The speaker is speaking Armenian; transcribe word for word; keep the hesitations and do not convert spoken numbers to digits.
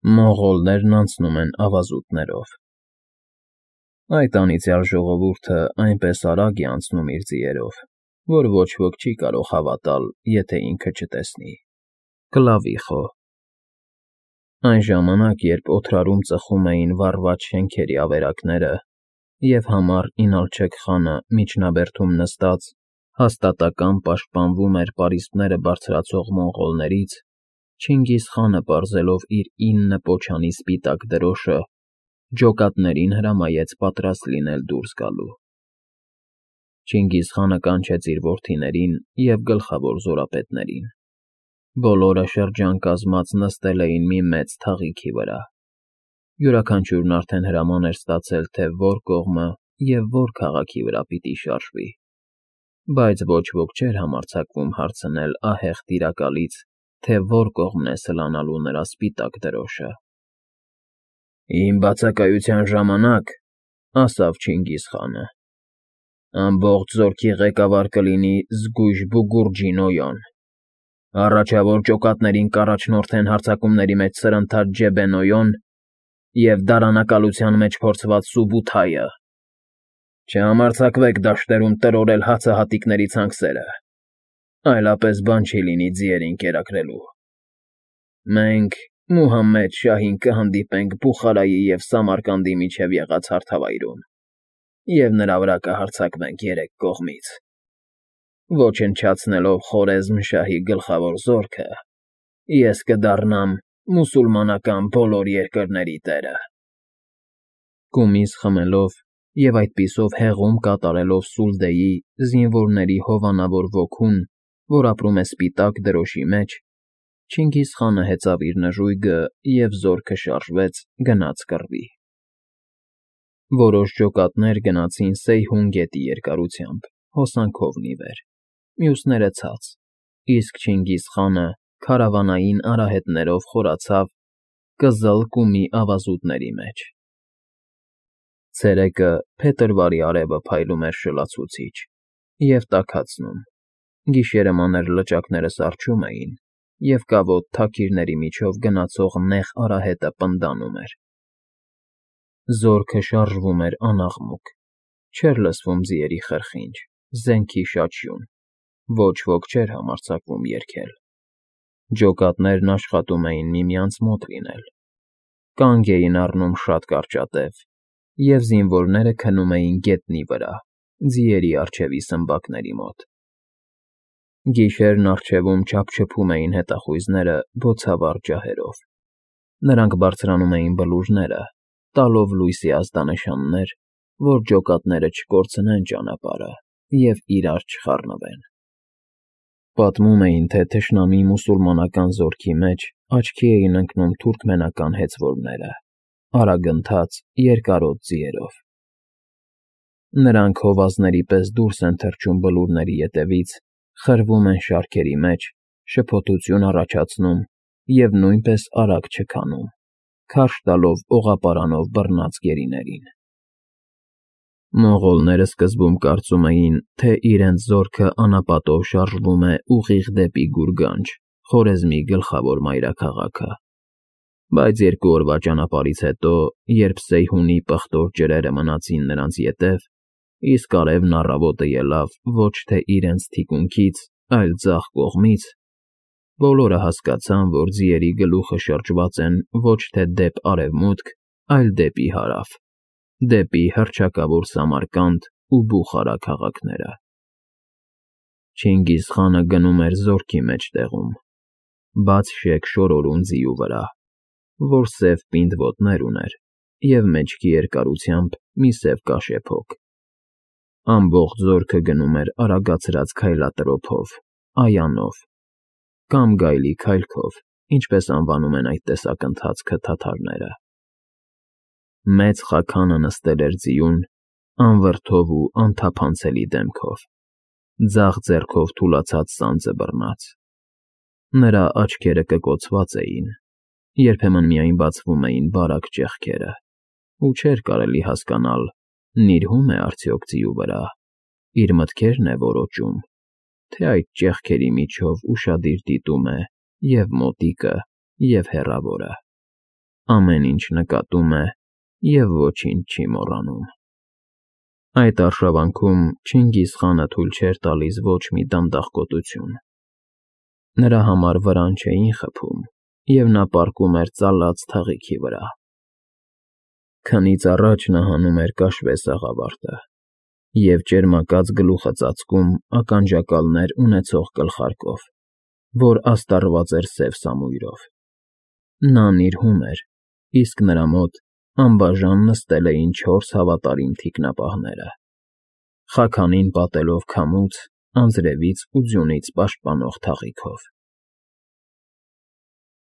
Մոնղոլներն անցնում են ավազուտներով։ Այդ անիծյալ ժողովուրդը այնպես արագ է անցնում իր ձիերով, որ ոչ ոք չի կարող հավատալ, եթե ինքը չտեսնի, կլավի խո։ Այն ժամանակ, երբ օդրարում ծխում էին վառված շենքերի ավերակները, և համառ Ինալչեք խանը միջնաբերդում նստած հաստատակամ պաշտպանվում էր պարիսպները բարձրացող մոնղոլներից, Չինգիզ խանը պարզելով իր ինը պոչանի սպիտակ դրոշը, ջոկատներին հրամայեց պատրաստ լինել դուրս գալու։ Չինգիզ խանը կանչեց իր որդիներին և գլխավոր զորապետներին։ Բոլորը շրջան կազմած նստել էին մի մեծ թաղիքի վրա։ Յուրաքանչյուրն արդեն հրաման էր ստացել, թե որ կողմը և որ քաղաքի վրա պիտի շարժվի, բայց ոչ ոք չէր համարձակվում հարցնել ահեղ տիրակալից, թե որ կողմն է սլանալու նրա սպիտակ դրոշը։ «Իմ բացակայության ժամանակ,֊ ասավ Չինգիզ խանը,֊ ամբողջ զորքի ղեկավար կլինի Զգույշ-Բուգուրջի Նոյոն, առաջավոր ջոկատներին կառաջնորդեն հարձակումների մեջ սրընթաց Ջեբե Նոյոն և դարանակալության մեջ փորձված Սուբութայը։ Չհամարձակվեք դաշտերում տրորել հացահատիկների ցանքսերը, այլապես բան չի լինի ձիերին կերակրելու։ Մենք Մուհամմեդ շահին կհանդիպենք Բուխարայի և Սամարկանդի միջև եղած հարթավայրում և նրա վրա կհարձակվենք երեք կողմից, ոչնչացնելով Խորեզմ֊շահի գլխավոր զորքը, ես կդառնամ մուսուլմանական բոլոր երկրների տերը»։ Կումիս խմելով և այդպիսով հեղում կատարելով Սուլդեի զինվորների հովանավոր ոգուն, որ ապրում է սպիտակ դրոշի մեջ, Չինգիզ խանը հեծավ իր նժույգը և զորքը շարժվեց, գնաց կռվի։ Որոշ ջոկատներ գնացին Սեյհուն գետի երկարությամբ, հոսանքով ի վեր, մյուսները՝ ցած, իսկ Չինգիզ խանը քարավանային արահետներով խորացավ Կզլ֊Կումի ավազուտների մեջ։ Ցերեկը փետրվարի արևը փայլում էր շլացուցիչ և տաքացնում, գիշերը մանր լճակները սառչում էին, և կավոտ թաքիրների միջով գնացող նեղ արահետը պնդանում էր։ Զորքը շարժվում էր անաղմուկ, չէր լսվում ձիերի խրխինջ, զենքի շաչյուն, ոչ ոք չէր համարձակվում երգել։ Ջոկատներն աշխատում էին միմյանց մոտ լինել, կանգ էին առնում շատ կարճատև, և զինվորները քնում էին գետնի վրա, ձիերի առջևի սմբակների մոտ։ Գիշերն առջևում չափչփում էին հետախույզները բոցավառ ջահերով։ Նրանք բարձրանում էին բլուրները, տալով լույսի ազդանշաններ, որ ջոկատները չկորցնեն ճանապարհը և իրար չխառնվեն։ Պատմում էին, թե թշնամի մուսուլմանական զորքի մեջ աչքի էին ընկնում թուրքմենական հեծվորները՝ արագընթաց, երկարոտ ձիերով։ Նրանք հովազների պես դուրս են թռչում բլուրների ետևից, խրվում են շարքերի մեջ, շփոթություն առաջացնում և նույնպես արագ չքանում, քարշ տալով օղապարանով բռնած գերիներին։ Մոնղոլները սկզբում կարծում էին, թե իրենց զորքը անապատով շարժվում է ուղիղ դեպի Գուրգանջ, Խորեզմի գլխավոր մայրաքաղաքը, բայց երկու օրվա ճանապարհից հետո, երբ Սեյհունի պղտոր ջրերը մնացին նրանց ետև, իսկ արևն առավոտը ելավ ոչ թե իրենց թիկունքից, այլ ձախ կողմից, բոլորը հասկացան, որ ձիերի գլուխը շրջված են ոչ թե դեպ արևմուտք, այլ դեպի հարավ, դեպի հռչակավոր Սամարկանդ ու Բուխարա քաղաքները։ Չինգիզ խանը գնում էր զորքի մեջտեղում, բաց շեք շորորում ձիու վրա, որ սև պինդ ոտներ ուներ և մեջքի երկարությամբ մի սև կաշեփոք։ Ամբողջ զորքը գնում էր արագացրած քայլատրոփով, այանով, կամ գայլի քայլքով, ինչպես անվանում են այդ տեսակընթացքը թաթարները։ Մեծ խաքանը նստել էր ձիուն, անվրդով ու անթափանցելի դեմքով, ձախ ձեռքով թուլացած սանձը բռնած։ Նրա աչքերը կկոցված էին, երբեմն միայն բացվում էին բարակ ճեղքերը, ու չէր կարելի հասկանալ՝ նիրհո՞ւմ է արդյոք ձիու վրա, իր մտքե՞րն է որոճում, թե այդ ճեղքերի միջով ուշադիր դիտում է և՛ մոտիկը, և՛ հեռավորը։ ամեն ինչ նկատում է և ոչինչ չի մոռանում։ Այդ արշավանքում Չինգիզ խանը թույլ չէր տալիս ոչ մի դանդաղկոտություն։ Նրա համար վրան չէին խփում, և նա պառկում էր ծալած թղիքի վրա։ Քնից առաջ նա հանում էր կաշվե սաղավարտը և ճերմակած գլուխը ծածկում ականջակալներ ունեցող գլխարկով, որ աստառված էր սև սամույրով։ Նա նիրհում էր, իսկ նրա մոտ անբաժան նստել էին չորս հավատարիմ թիկնապահները՝ խաքանին պատելով քամուց, անձրևից ու ձյունից պաշտպանող թաղիքով։